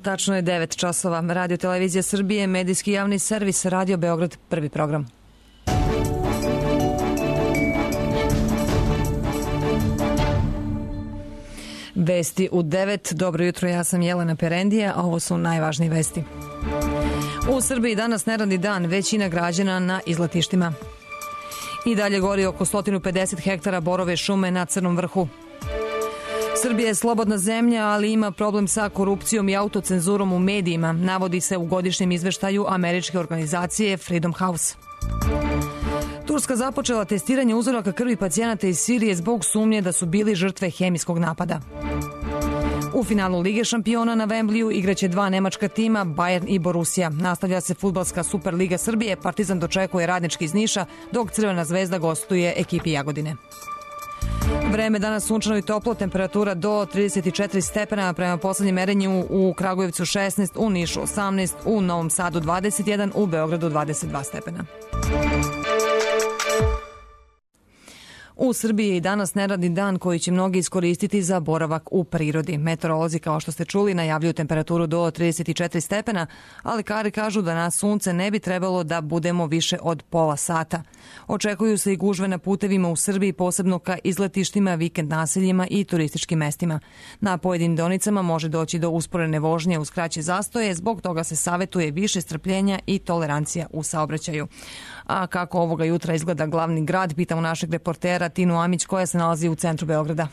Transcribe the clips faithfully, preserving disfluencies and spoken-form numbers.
Tačno je devet časova. Radio Televizija Srbije, medijski javni servis, Radio Beograd, prvi program. Vesti u devet. Dobro jutro, ja sam Jelena Perendija, a ovo su najvažnije vesti. U Srbiji danas neradni dan, većina građana na izletištima. I dalje gori oko sto pedeset hektara borove šume na Crnom vrhu. Srbija je slobodna zemlja, ali ima problem sa korupcijom i autocenzurom u medijima, navodi se u godišnjem izveštaju američke organizacije Freedom House. Turska započela testiranje uzoraka krvi pacijenata iz Sirije zbog sumnje da su bili žrtve hemijskog napada. U finalu Lige šampiona na Wembleyu igraće dva nemačka tima, Bayern i Borussia. Nastavlja se fudbalska Superliga Srbije, Partizan dočekuje Radnički iz Niša, dok Crvena zvezda gostuje ekipi Jagodine. Vreme danas sunčano i toplo, temperatura do trideset četiri stepena, prema poslednjem merenju u Kragujevcu šesnaest, u Nišu osamnaest, u Novom Sadu dvadeset jedan, u Beogradu dvadeset dva stepena. U Srbiji je i danas neradni dan koji će mnogi iskoristiti za boravak u prirodi. Meteorolozi, kao što ste čuli, najavljuju temperaturu do trideset četiri stepena, ali lekari kažu da na sunce ne bi trebalo da budemo više od pola sata. Očekuju se i gužve na putevima u Srbiji, posebno ka izletištima, vikend naseljima i turističkim mestima. Na pojedinim deonicama može doći do usporene vožnje uz kraće zastoje, zbog toga se savetuje više strpljenja i tolerancija u saobraćaju. A kako ovoga jutra izgleda glavni grad, pitamo našeg reportera Tinu Amić koja se nalazi u centru Beograda.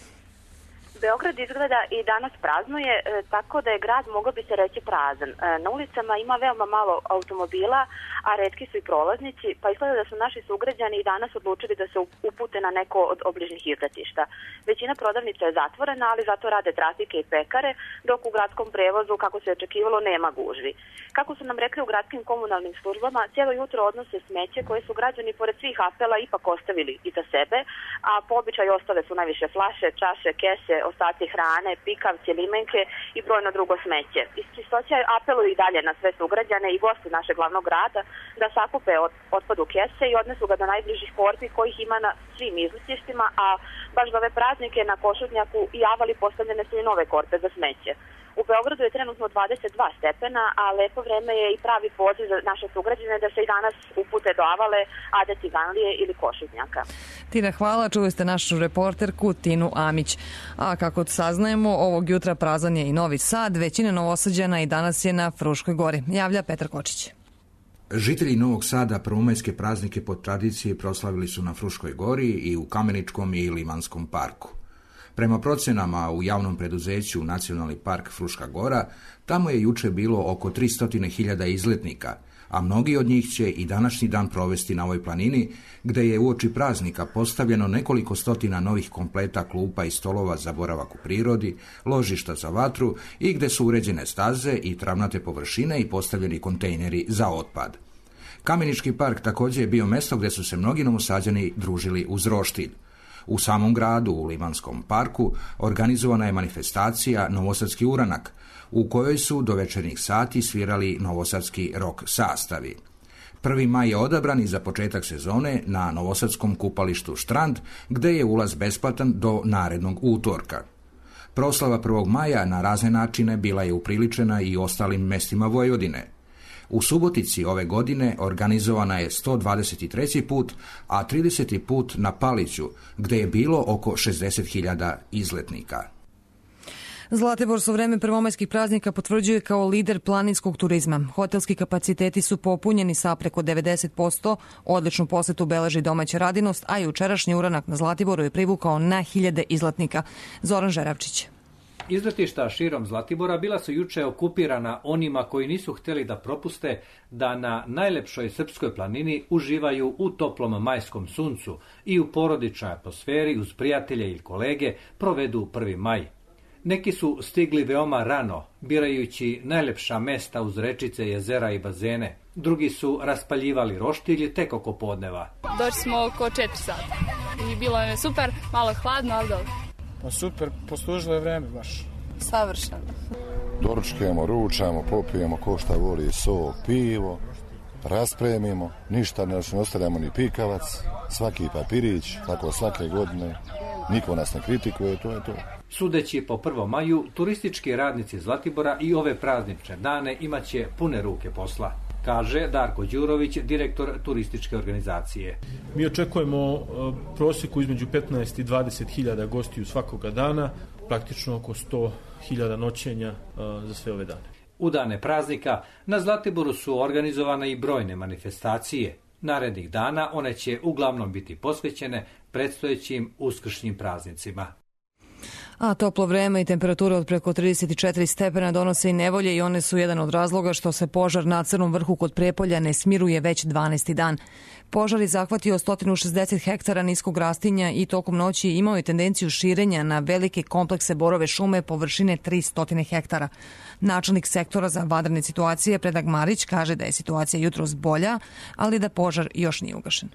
Beograd izgleda i danas praznuje, tako da je grad, mogao bi se reći, prazan. Na ulicama ima veoma malo automobila, a retki su i prolaznici, pa izgleda da su naši sugrađani i danas odlučili da se upute na neko od obližnjih izletišta. Većina prodavnica je zatvorena, ali zato rade trafike i pekare, dok u gradskom prevozu, kako se očekivalo, nema gužvi. Kako su nam rekli u gradskim komunalnim službama, cijelo jutro odnose smeće koje su građani pored svih apela ipak ostavili iza sebe, a po običaju ostale su najviše flaše, čaše, kese, ostaci hrane, pikavci, limenke i brojno drugo smeće. Iz čistoća apeluju i dalje na sve sugrađane i goste našeg glavnog grada da sakupe otpad u kese i odnesu ga do najbližih korpi kojih ima na svim izletištima, a baš za ove praznike na Košutnjaku i Avali postavljene su i nove korpe za smeće. U Beogradu je trenutno dvadeset dva stepena, a lepo vreme je i pravi poziv za naše sugrađane da se i danas upute do Avale, Ade Ciganlije ili Košutnjaka. Tina, hvala. Čuli ste našu reporterku Tinu Amić. A kako saznajemo, ovog jutra prazan je i Novi Sad. Većina Novosađana i danas je na Fruškoj gori. Javlja Petar Kočić. Žitelji Novog Sada prvomajske praznike po tradiciji proslavili su na Fruškoj gori i u Kameničkom i Limanskom parku. Prema procenama u javnom preduzeću Nacionalni park Fruška gora, tamo je juče bilo oko tristo hiljada izletnika, a mnogi od njih će i današnji dan provesti na ovoj planini, gde je uoči praznika postavljeno nekoliko stotina novih kompleta klupa i stolova za boravak u prirodi, ložišta za vatru i gde su uređene staze i travnate površine i postavljeni kontejneri za otpad. Kamenički park također je bio mesto gde su se mnogi Novosađani družili uz roštilj. U samom gradu, u Limanskom parku, organizovana je manifestacija Novosadski uranak, u kojoj su do večernjih sati svirali novosadski rock sastavi. Prvi maj je odabran i za početak sezone na novosadskom kupalištu Štrand, gde je ulaz besplatan do narednog utorka. Proslava prvog maja na razne načine bila je upriličena i ostalim mestima Vojvodine. U Subotici ove godine organizovana je sto dvadeset treći put, a trideseti put na Paliću, gde je bilo oko šezdeset hiljada izletnika. Zlatibor se u vreme prvomajskih praznika potvrđuje kao lider planinskog turizma. Hotelski kapaciteti su popunjeni sa preko devedeset posto, odličnu posetu beleži domaća radinost, a jučerašnji uranak na Zlatiboru je privukao na hiljade izletnika. Zoran Žeravčić. Izletišta širom Zlatibora bila su juče okupirana onima koji nisu htjeli da propuste da na najlepšoj srpskoj planini uživaju u toplom majskom suncu i u porodičnoj atmosferi uz prijatelje ili kolege provedu prvi maj. Neki su stigli veoma rano, birajući najlepša mesta uz rečice, jezera i bazene. Drugi su raspaljivali roštilje tek oko podneva. Došli smo oko četiri sata i bilo je super, malo hladno, ali dobro. Pa super, poslužilo je vreme baš. Savršeno. Doručkujemo, ručamo, popijemo ko šta voli, sok, pivo, raspremimo, ništa ne ostavljamo ni pikavac, svaki papirić, tako svake godine, niko nas ne kritikuje, to je to. Sudeći po prvom maju, turistički radnici Zlatibora i ove praznične dane imaće pune ruke posla, kaže Darko Đurović, direktor turističke organizacije. Mi očekujemo prosjeku između petnaest i dvadeset hiljada gostiju svakoga dana, praktično oko sto hiljada noćenja za sve ove dane. U dane praznika na Zlatiboru su organizovane i brojne manifestacije. Narednih dana one će uglavnom biti posvećene predstojećim uskršnjim praznicima. A toplo vreme i temperatura od preko trideset četiri stepena donose i nevolje i one su jedan od razloga što se požar na Crnom vrhu kod Prijepolja ne smiruje već dvanaesti dan. Požar je zahvatio sto šezdeset hektara niskog rastinja i tokom noći imao je tendenciju širenja na velike komplekse borove šume površine tristo hektara. Načelnik sektora za vanredne situacije Predrag Marić kaže da je situacija jutros bolja, ali da požar još nije ugašen.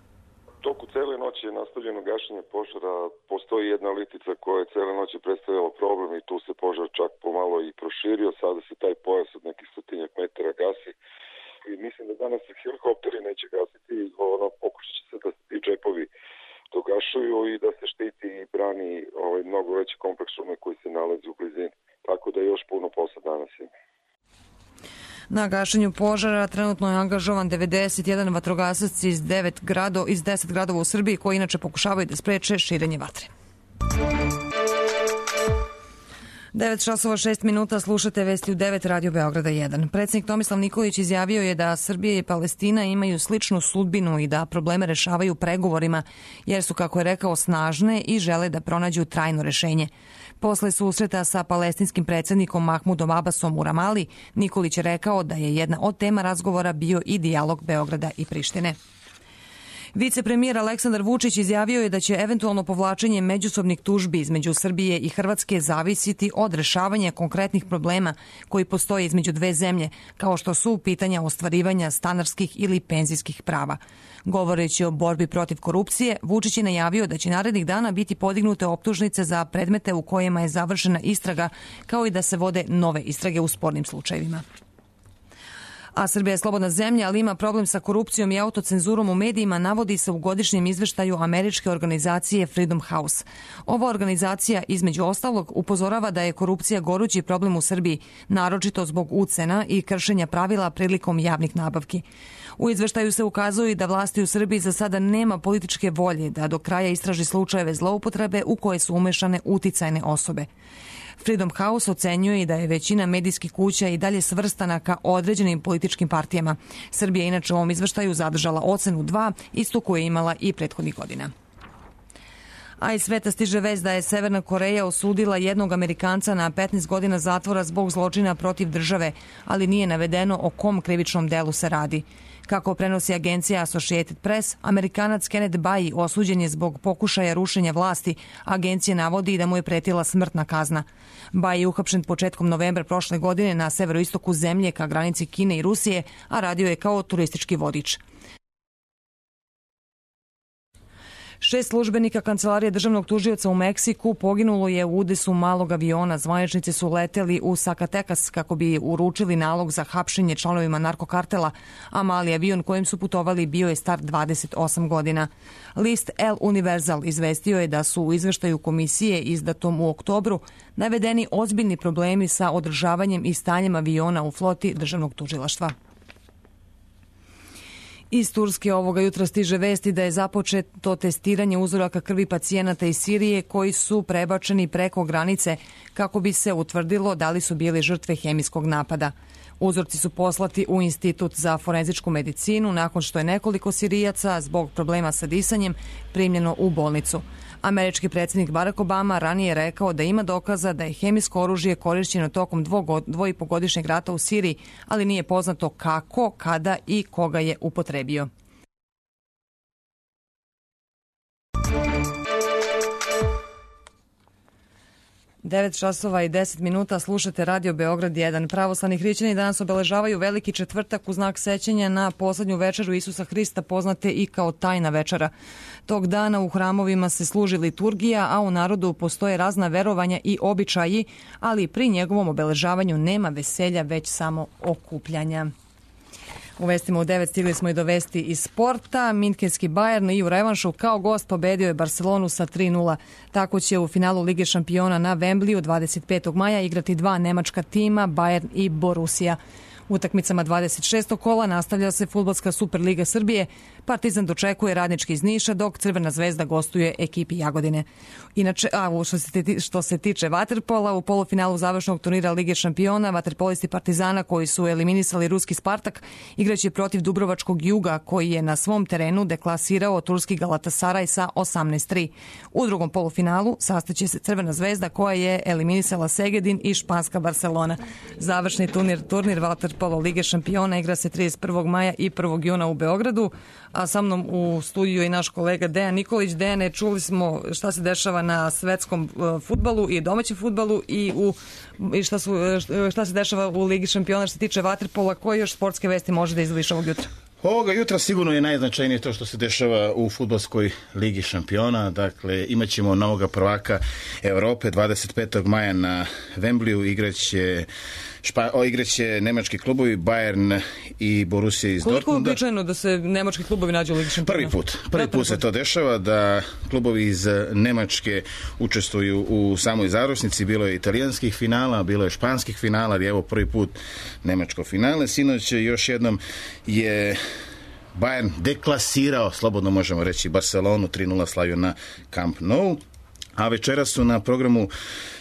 Toku cele noći je nastavljeno gašenje požara. Postoji jedna litica koja je cele noći predstavljala problem i tu se požar čak pomalo i proširio. Sada se taj pojas od nekih stotinjak metara gasi. I mislim da danas helikopteri neće gasiti. Ono, pokušat će se da se ti džepovi dogašuju i da se štiti i brani ovaj, mnogo veći kompleks šume koji se nalazi u blizini. Tako da još puno posla danas ima. Na gašenju požara trenutno je angažovan devedeset jedan vatrogasac iz devet grado, iz deset gradova u Srbiji koji inače pokušavaju da spreče širenje vatre. devet časova šest minuta, slušate vesti u devet Radio Beograda jedan. Predsjednik Tomislav Nikolić izjavio je da Srbija i Palestina imaju sličnu sudbinu i da probleme rešavaju pregovorima, jer su, kako je rekao, snažne i žele da pronađu trajno rešenje. Posle susreta sa palestinskim predsjednikom Mahmudom Abbasom u Ramali, Nikolić je rekao da je jedna od tema razgovora bio i dijalog Beograda i Prištine. Vicepremijer Aleksandar Vučić izjavio je da će eventualno povlačenje međusobnih tužbi između Srbije i Hrvatske zavisiti od rešavanja konkretnih problema koji postoje između dve zemlje, kao što su pitanja ostvarivanja stanarskih ili penzijskih prava. Govoreći o borbi protiv korupcije, Vučić je najavio da će narednih dana biti podignute optužnice za predmete u kojima je završena istraga, kao i da se vode nove istrage u spornim slučajevima. A Srbija je slobodna zemlja, ali ima problem sa korupcijom i autocenzurom u medijima, navodi se u godišnjem izveštaju američke organizacije Freedom House. Ova organizacija, između ostalog, upozorava da je korupcija gorući problem u Srbiji, naročito zbog ucena i kršenja pravila prilikom javnih nabavki. U izveštaju se ukazuje da vlasti u Srbiji za sada nema političke volje da do kraja istraži slučajeve zloupotrebe u koje su umešane uticajne osobe. Freedom House ocenjuje i da je većina medijskih kuća i dalje svrstana ka određenim političkim partijama. Srbija inače u ovom izveštaju zadržala ocenu dva, istu koju je imala i prethodnih godina. A iz sveta stiže vest da je Severna Koreja osudila jednog Amerikanca na petnaest godina zatvora zbog zločina protiv države, ali nije navedeno o kom krivičnom delu se radi. Kako prenosi agencija Associated Press, Amerikanac Kenneth Bayi osuđen je zbog pokušaja rušenja vlasti. Agencija navodi da mu je pretila smrtna kazna. Bayi je uhapšen početkom novembra prošle godine na severoistoku zemlje ka granici Kine i Rusije, a radio je kao turistički vodič. Šest službenika Kancelarije državnog tužioca u Meksiku poginulo je u udesu malog aviona. Zvaničnici su leteli u Zacatecas kako bi uručili nalog za hapšenje članovima narkokartela, a mali avion kojim su putovali bio je star dvadeset osam godina. List El Universal izvestio je da su u izveštaju komisije izdatom u oktobru navedeni ozbiljni problemi sa održavanjem i stanjem aviona u floti državnog tužilaštva. Iz Turske ovoga jutra stiže vesti da je započeto testiranje uzoraka krvi pacijenata iz Sirije koji su prebačeni preko granice kako bi se utvrdilo da li su bili žrtve hemijskog napada. Uzorci su poslati u Institut za forenzičku medicinu nakon što je nekoliko Sirijaca zbog problema sa disanjem primljeno u bolnicu. Američki predsjednik Barack Obama ranije rekao da ima dokaza da je hemijsko oružje korišćeno tokom dvoipogodišnjeg rata u Siriji, ali nije poznato kako, kada i koga je upotrebio. devet časova i deset minuta, slušate Radio Beograd jedan. Pravoslavni hrišćani danas obeležavaju veliki četvrtak u znak sećanja na poslednju večeru Isusa Hrista, poznate i kao tajna večera. Tog dana u hramovima se služi liturgija, a u narodu postoje razna verovanja i običaji, ali pri njegovom obeležavanju nema veselja, već samo okupljanja. U vestima u devet stigli smo i do vesti iz sporta. Minhenski Bayern i u revanšu kao gost pobedio je Barcelonu sa tri nula. Tako će u finalu Lige šampiona na Wembleyu dvadeset petog maja igrati dva nemačka tima, Bayern i Borussia. Utakmicama dvadeset šestog kola nastavlja se Fudbalska Superliga Srbije. Partizan dočekuje Radnički iz Niša, dok Crvena zvezda gostuje ekipi Jagodine. Inače, a što se, što se tiče vaterpola, u polufinalu završnog turnira Lige šampiona, vaterpolisti Partizana koji su eliminisali ruski Spartak igraće protiv Dubrovačkog Juga koji je na svom terenu deklasirao turski Galatasaraj sa osamnaest tri. U drugom polufinalu sastaće se Crvena zvezda koja je eliminisala Segedin i španska Barcelona. Završni turnir, turnir vaterpola Lige šampiona igra se trideset prvog maja i prvog juna u Beogradu, a sa mnom u studiju je i naš kolega Dejan Nikolić. Dejane, čuli smo šta se dešava na svetskom fudbalu i domaćem fudbalu i, u, i šta, su, šta se dešava u Ligi šampiona što se tiče vaterpola. Koje još sportske vesti može da izdvojiš ovog jutra? Ovoga jutra sigurno je najznačajnije to što se dešava u fudbalskoj Ligi šampiona. Dakle, imat ćemo novoga prvaka Evrope dvadeset petog maja na Wembleyu. Igraće Špa, o, igraće nemački klubovi Bayern i Borussia iz Dortmunda. Koliko je običajno da se nemački klubovi nađu u Ligi šampiona? Prvi put. Prvi put se to dešava da klubovi iz Nemačke učestvuju u samoj završnici. Bilo je italijanskih finala, bilo je španskih finala, ali evo prvi put nemačko finale. Sinoć još jednom je Bayern deklasirao, slobodno možemo reći, Barcelonu, tri nula slavio na Camp Nou. A večera su na programu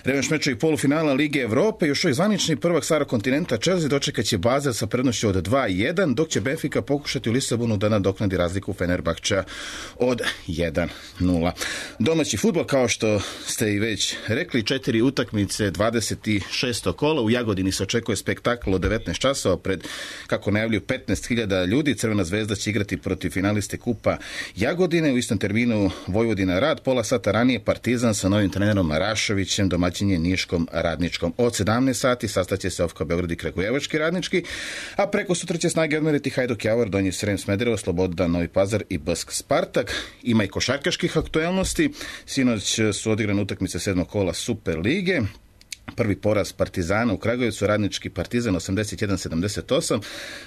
revanš mečevi polufinala Lige Evrope. Još uvijek zvanični prvak starog kontinenta Chelsea dočekat će Basel sa prednošću od dva jedan, dok će Benfica pokušati u Lisabonu da nadoknadi razliku Fenerbahča od jedan nula. Domaći fudbal, kao što ste i već rekli, četiri utakmice dvadeset šestog kola. U Jagodini se očekuje spektakl od devetnaest časova pred, kako najavljuju, petnaest hiljada ljudi. Crvena zvezda će igrati protiv finaliste Kupa Jagodine. U istom terminu Vojvodina Rad, pola sata ranije Partizan sa novim trenerom Rašovićem, domaćin je Niškom Radničkom. Od sedamnaest sati sastaće se Ofka Beograd i Kragujevački Radnički, a preko sutra će snage odmeriti Hajduk Javor, Donji Srem Smederevo, Sloboda Novi Pazar i Bask Spartak. Ima i košarkaških aktuelnosti. Sinoć su odigrane utakmice sedmog kola Super lige. Prvi poraz Partizana u Kragujevcu, Radnički Partizan osamdeset jedan sedamdeset osam,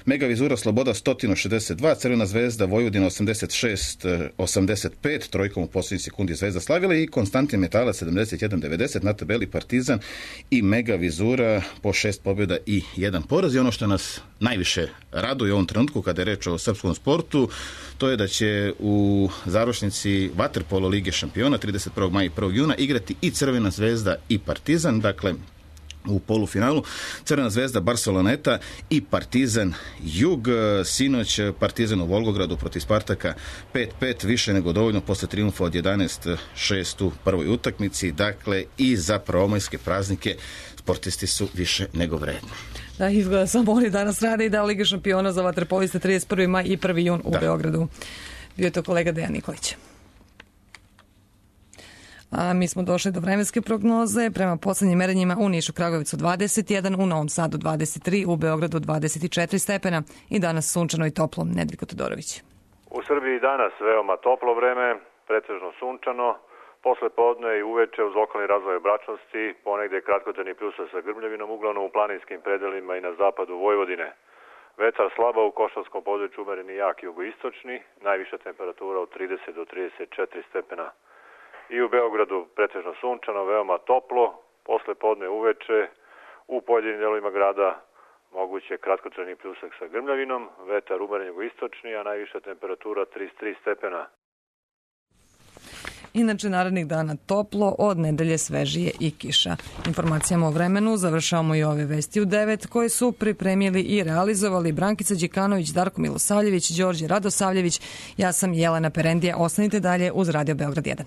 Mega Vizura Sloboda sto šezdeset dva, Crvena zvezda Vojvodina osamdeset šest osamdeset pet, trojkom u posljednjoj sekundi Zvezda slavila i Konstantin Metalac sedamdeset jedan devedeset, na tabeli Partizan i Mega Vizura po šest pobjeda i jedan poraz. I ono što nas najviše raduje u ovom trenutku kada je reč o srpskom sportu, to je da će u završnici vaterpolo Lige šampiona trideset prvog maja i prvog juna igrati i Crvena zvezda i Partizan. Dakle, u polufinalu Crvena zvezda Barceloneta i Partizan Jug. Sinoć Partizan u Volgogradu protiv Spartaka pet pet, više nego dovoljno posle triumfa od jedanaest šest u prvoj utakmici. Dakle, i za prvomajske praznike sportisti su više nego vredni. Da, izgleda samo oni danas rade i da Liga šampiona za vaterpoliste trideset prvi maj i prvi jun u da. Beogradu. Bio je to kolega Dejan Nikolić. A mi smo došli do vremenske prognoze. Prema poslednjim merenjima u Nišu, Kragujevcu dvadeset jedan, u Novom Sadu dvadeset tri, u Beogradu dvadeset četiri stepena i danas sunčano i toplo. Nedeljko Todorović. U Srbiji danas veoma toplo vreme, pretežno sunčano, posle podne i uveče uz lokalni razvoj oblačnosti, ponegde kratkotrajni pljusak sa grmljavinom, uglavnom u planinskim predelima i na zapadu Vojvodine. Vetar slaba u Košavskom području, umereni jak jugoistočni, najviša temperatura od trideset do trideset četiri stepena. I u Beogradu pretežno sunčano, veoma toplo, posle podne uveče, u pojedinim delovima grada moguće kratkotrajni pljusak sa grmljavinom, vetar umeren jugoistočni, a najviša temperatura trideset tri stepena. Inače, narednih dana toplo, od nedelje svežije i kiša. Informacijama o vremenu završavamo i ove vesti u devet koje su pripremili i realizovali Brankica Đikanović, Darko Milosavljević, Đorđe Radosavljević. Ja sam Jelena Perendija. Ostanite dalje uz Radio Beograd jedan.